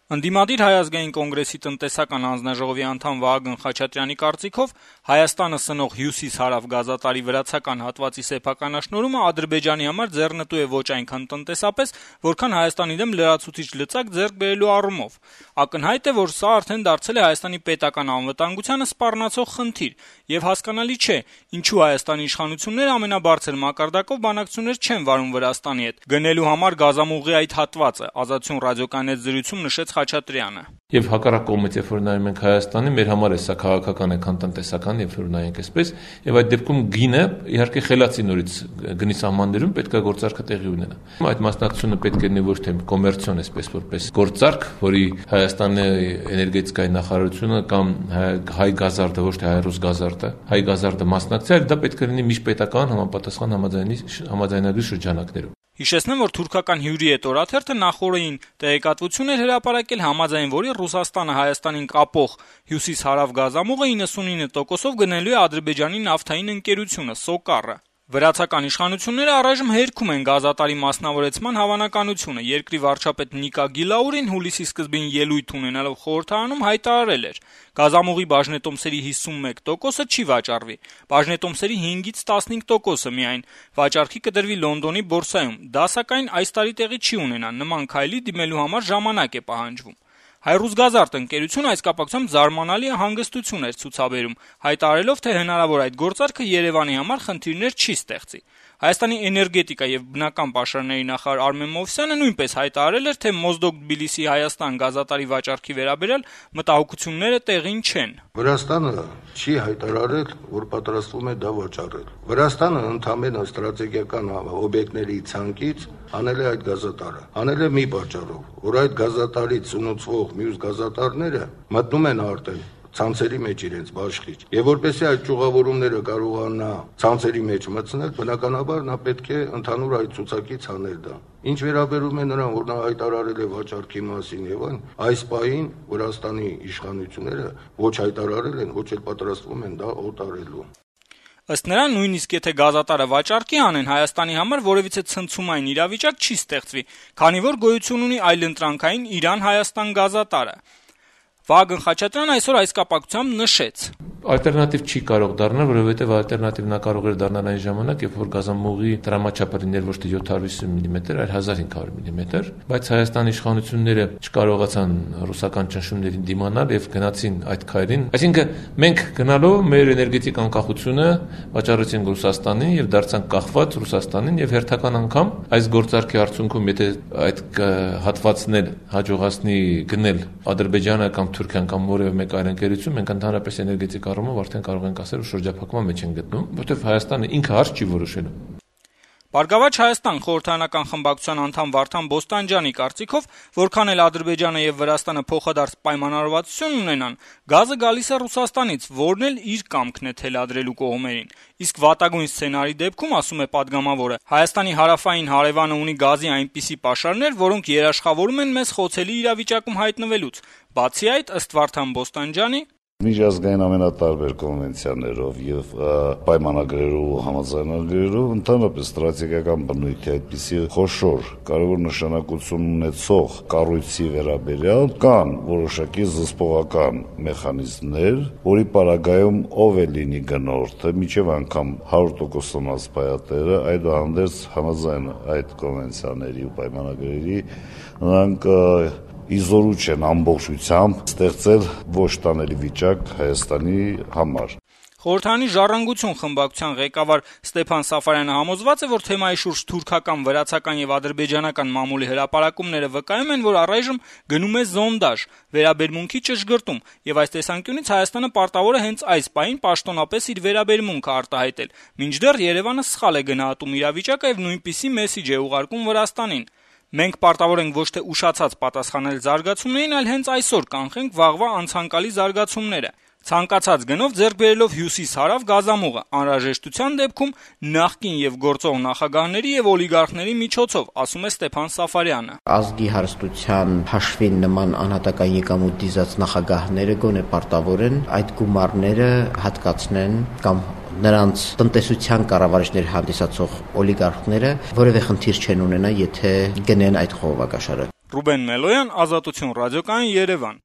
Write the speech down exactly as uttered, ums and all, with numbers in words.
Ընդդիմադիր Հայ ազգային կոնգրեսի տնտեսական հանձնաժողովի անդամ Վահագն Խաչատրյանի կարծիքով Հայաստանը սնող հյուսիս-հարավ գազատարի վրացական հատվածի սեփականաշնորհումը Ադրբեջանի համար ձեռնտու է ոչ այնքան տնտեսապես, որքան Հայաստանի դեմ լրացուցիչ լծակ ձեռք բերելու առումով։ Ակնհայտ է, որ սա արդեն դարձել է Հայաստանի պետական անվտանգությանը սպառնացող խնդիր, եւ հասկանալի չէ, ինչու Հայաստանի իշխանությունները ամենաբարձր մակարդակով բանակցություններ չեն վարում Վրաստանի հետ, գնելու համար գազամուղի այդ հատվածը, Ազատություն ռադիոկայանի հետ զրույցում նշեց Խաչատրյանը։ Եվ հակառակ կողմից, երբ որ նայում ենք Հայաստանի, մեր համար է սա քաղաքական է, քան տնտեսական, երբ որ նայենք այսպես, եւ այդ դեպքում գինը իհարկե խելացի նորից գնի սահմաններում պետք է գործարքը տեղի ունենա։ Այդ մասնակցությունը պետք է լինի ոչ թե կոմերցիոն, այսպես որպես գործարք, որի Հայաստանի էներգետիկայի նախարարությունը կամ հայ գազարդը, ոչ թե հայ-ռուս գազարդը, հայ գազարդը մասնակցի, այլ դա պետք է լինի միջպետական համապատասխան համաձայնագրի շրջանակներում։ Հիշեցնեմ, որ թուրքական հյուրի հետ օրաթերթը նախորդին տեղեկատվություն էր հրապարակել, համաձայն որի Ռուսաստանը Հայաստանին կապող հյուսիս-հարավ գազամուղը իննսունինը տոկոսով գնելու է Ադրբեջանի նավթային ընկերությունը Սոկարը։ Վրացական իշխանությունները առայժմ հերքում են գազատարի մասնավորեցման հավանականությունը։ Երկրի վարչապետ Նիկա Գիլաուրին հուլիսի սկզբին ելույթ ունենալով խորհրդարանում հայտարարել էր. «Գազամուղի բաժնետոմսերի հիսունմեկ տոկոսը չի վաճառվի, բաժնետոմսերի հինգից տասնհինգ տոկոսը միայն վաճառքի կդրվի Լոնդոնի բորսայում։ Դա սակայն այս տարի տեղի չի ունենա, նման քայլի դիմելու համար ժամանակ է պահանջվում»։ Հայ-ռուս գազարդ ընկերությունը այս կապակցությամբ զարմանալի հանգստություն էր ցուցաբերում, հայտարարելով, թե հնարավոր այդ գործարքը Երևանի համար խնդիրներ չի ստեղծի։ Հայաստանի էներգետիկա եւ բնական պաշարների նախարար Արմեն Մովսյանը նույնպես հայտարարել էր, թե Մոզդոկ-Թբիլիսի-Հայաստան գազատարի վաճառքի վերաբերյալ մտահոգությունները տեղին չեն։ Վրաստանը չի հայտարարել, որ պատրաստվում է դա վաճառել։ Վրաստանը ընդհանրապես ստրատեգիական օբյեկտների ցանկից անել է այդ գազատարը։ Անել է մի պատճառով, որ այդ գազատարից ունեցվող մյուս գազատարները մտնում են արդեն ցանցերի մեջ իրենց բաշխիչ։ Եվ որպեսզի այդ ճյուղավորումները կարողանա ցանցերի մեջ մտցնել, բնականաբար նա պետք է ընդհանուր այդ ցուցակից անել դա։ Ինչ վերաբերում է նրան, որ նա հայտարարել է վաճառքի մասին եւ այն, այս պահին Վրաստանի իշխանությունները ոչ հայտարարել են, ոչ էլ պատրաստվում են դա օտարելու։ Ըստ նրան, նույնիսկ եթե գազատարը վաճառքի անեն, Հայաստանի համար որևիցե ցնցումային իրավիճակ չի ստեղծվի, քանի որ գոյություն ունի այլընտրանքային Իրան-Հայաստան գազատարը։ Վահագն Խաչատրյանը այսօր այս կապակցությամբ նշեց. Ալտերնատիվ չի կարող դառնալ, որովհետև ալտերնատիվն նա կարող էր դառնալ այն ժամանակ, երբ որ գազամուղի տրամաչափը լիներ ոչ թե յոթ հարյուր վիսուն միլիմետր, այլ հազար հինգ հարյուր միլիմետր, բայց Հայաստանի իշխանությունները չկարողացան ռուսական ճնշումներին դիմանալ եւ գնացին այդ քայլին։ Այսինքն մենք գնալով մեր էներգետիկ անկախությունը վաճառեցինք Ռուսաստանին եւ դարձանք կախված Ռուսաստանին եւ հերթական անգամ այս գործարքի արդյունքում, եթե այդ հատվածն էլ հաջողացնի գնել Ադրբեջանը կամ Թուրքիան կամ որևէ մեկ այլ ընկերություն, մենք ընդհանրապես էներգետիկ առումով արդեն կարող ենք ասել, որ շրջափակման մեջ են գտնում, որովհետև Հայաստանը ինքը հարց չի որոշելու։ Բարգավաճ Հայաստան խորհրդարանական խմբակցության անդամ Վարդան Բոստանջյանի կարծիքով, որքան էլ Ադրբեջանը եւ Վրաստանը փոխադարձ պայմանավորվածություն ունենան, գազը գալիս է Ռուսաստանից, որն էլ իր կամքն է թելադրելու կողմերին։ Իսկ վատագույն սցենարի դեպքում, ասում է падգամավորը, Հայաստանի հարավային հարևանը ունի գազի այնպիսի պաշարներ, որոնք երաշխավորում են մեզ խոցելի իրավիճակում հայտնվելուց։ Բացի այդ, ըստ Վարդան Բոստանջյանի, Միջազգային ամենատարբեր կոնվենցիաներով եւ պայմանագրերով ու համաձայնագրերով ընդհանրապես ստրատեգիական բնույթի այդպիսի խոշոր կարևոր նշանակություն ունեցող կառույցի վերաբերյալ կան որոշակի զսպողական մեխանիզմներ, որի պարագայում ով է լինի գնորդը, միջև անգամ հարյուր տոկոսանոց պայատերը, այդուհանդերձ համաձայն այդ կոնվենցիաների ու պայմանագրերի նրանք իզորու չեն ամբողջությամբ ստեղծել ոչ տանելի վիճակ Հայաստանի համար։ Խորհրդարանի «Ժառանգություն» խմբակցության ղեկավար Ստեփան Սաֆարյանը համոզված է, որ թեմայի շուրջ թուրքական, վրացական եւ ադրբեջանական մամուլի հրապարակումները վկայում են, որ առայժմ գնում է զոնդաժ, վերաբերմունքի ճշգրտում, եւ այս տեսանկյունից Հայաստանը պարտավոր է հենց այս պահին պաշտոնապես իր վերաբերմունքը արտահայտել, մինչդեռ Երևանը սխալ է գնահատում իրավիճակը եւ նույնպիսի մեսիջ է ուղարկում Վրաստանին։ Մենք պարտավոր ենք ոչ թե ուշացած պատասխանել զարգացումներին, այլ հենց այսօր կանխենք վաղվա անցանկալի զարգացումները։ Ցանկացած գնով ձեռք բերելով հյուսիս-հարավ գազամուղը, անհրաժեշտության դեպքում նախկին եւ գործող նախագահների եւ օլիգարխների միջոցով, ասում է Ստեփան Սաֆարյանը։ Ազգի հարստության հաշվին նման անհատական եկամուտ դիզած նախագահները գոնե պարտավոր են այդ գումարները հատկացնեն կամ նրանց տնտեսության կառավարիչներ հանդիսացող օլիգարխները որևէ խնդիր չեն ունենա, եթե գնեն այդ խողովակաշարը։ Ռուբեն Մելոյան, Ազատություն ռադիոկայան, Երևան։